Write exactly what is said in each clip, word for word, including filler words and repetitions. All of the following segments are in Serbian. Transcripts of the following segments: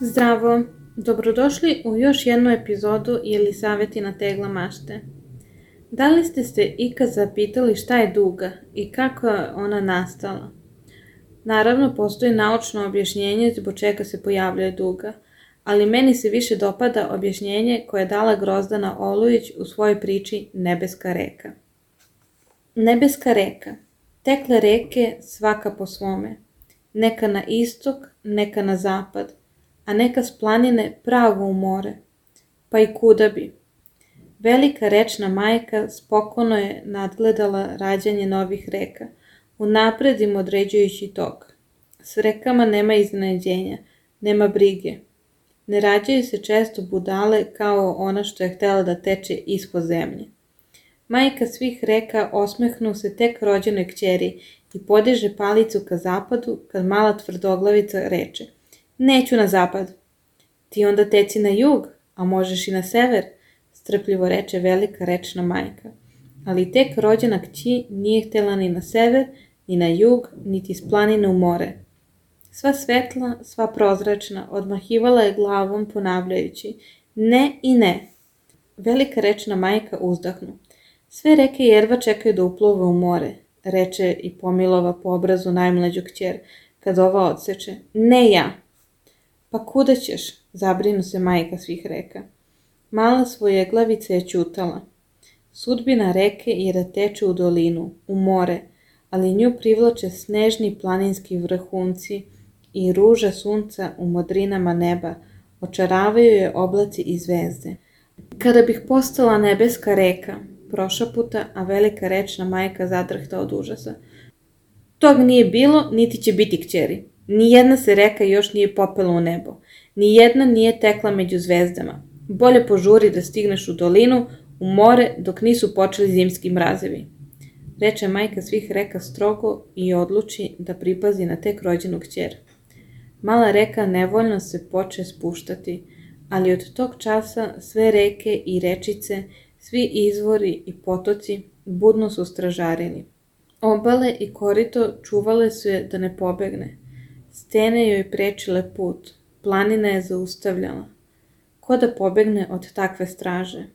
Zdravo, dobrodošli u još jednu epizodu Jelisavetina tegla mašte. Da li ste se ikad zapitali šta je duga i kako je ona nastala? Naravno, postoji naučno objašnjenje zbog čega se pojavljuje duga, ali meni se više dopada objašnjenje koje je dala Grozdana Olujić u svojoj priči Nebeska reka. Nebeska reka. Tekle reke svaka po svome, neka na istok, neka na zapad, a neka s planine pravo u more, pa i kuda bi. Velika rečna majka spokojno je nadgledala rađanje novih reka, unapred im određujući tok. S rekama nema iznenađenja, nema brige. Ne rađaju se često budale kao ona što je htjela da teče ispod zemlje. Majka svih reka osmehnu se tek rođenoj kćeri i podiže palicu ka zapadu kad mala tvrdoglavica reče: "Neću na zapad." "Ti onda teci na jug, a možeš i na sever," strpljivo reče velika rečna majka. Ali tek rođena kći nije htjela ni na sever, ni na jug, niti s planine u more. Sva svetla, sva prozračna, odmahivala je glavom ponavljajući: "Ne i ne." Velika rečna majka uzdahnu: "Sve reke jedva čekaju da uplove u more," reče i pomilova po obrazu najmlađu kćer, kad ova odseče: "Ne ja." "Pa kuda ćeš?" zabrinu se majka svih reka. Mala svojeglavica je ćutala. Sudbina reke je da teče u dolinu, u more, ali nju privlače snežni planinski vrhunci i ruža sunca u modrinama neba, očaravaju je oblaci i zvezde. "Kada bih postala nebeska reka," prošaputa, a velika rečna majka zadrhta od užasa. "Tog nije bilo, niti će biti, kćeri. Nijedna se reka još nije popela u nebo. Nijedna nije tekla među zvezdama. Bolje požuri da stigneš u dolinu, u more, dok nisu počeli zimski mrazevi," reče majka svih reka strogo i odluči da pripazi na tek rođenu kćer. Mala reka nevoljno se poče spuštati, ali od tog časa sve reke i rečice, svi izvori i potoci budno su stražarili. Obale i korito čuvale su je da ne pobegne. Stene joj prečile put, planina je zaustavljala. Ko da pobegne od takve straže?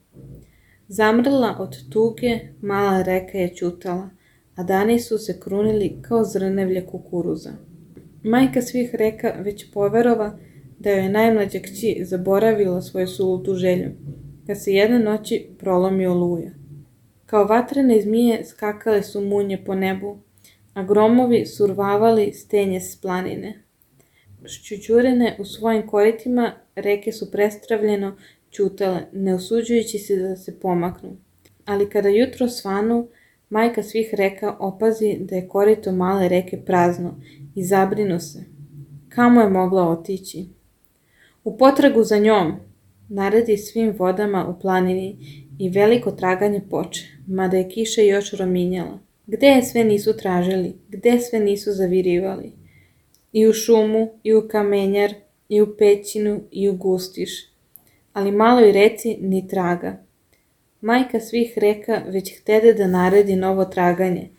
Zamrla od tuge, mala reka je ćutala, a dani su se krunili kao zrnevlje kukuruza. Majka svih reka već poverova da joj je najmlađa kći zaboravila svoju sulutu želju, kad se jedne noći prolomi oluja. Kao vatrene zmije skakale su munje po nebu, a gromovi survavali stenje s planine. Šćućurene u svojim koritima, reke su prestravljeno ćutale, ne usuđujući se da se pomaknu. Ali kada jutro svanu, majka svih reka opazi da je korito male reke prazno i zabrinu se. Kamo je mogla otići? "U potragu za njom," naredi svim vodama u planini i veliko traganje poče, mada je kiša još rominjala. Gde je sve nisu tražili, gde sve nisu zavirivali? I u šumu, i u kamenjar, i u pećinu, i u gustiš. Ali maloj reci ni traga. Majka svih reka već htede da naredi novo traganje,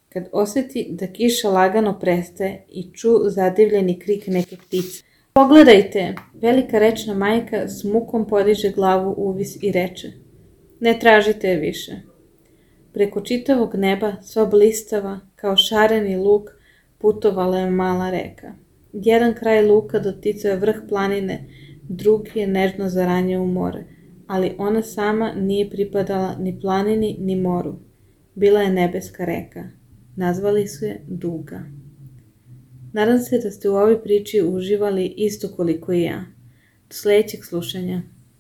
kad osjeti da kiša lagano prestaje i ču zadivljeni krik neke ptice. "Pogledajte!" Velika rečna majka s mukom podiže glavu uvis i reče: "Ne tražite je više." Preko čitavog neba, sva blistava, kao šareni luk, putovala je mala reka. Jedan kraj luka doticao je vrh planine, drugi je nežno zaranjao u more, ali ona sama nije pripadala ni planini ni moru. Bila je nebeska reka. Nazvali su je Duga. Nadam se da ste u ovoj priči uživali isto koliko i ja. Do sljedećeg slušanja.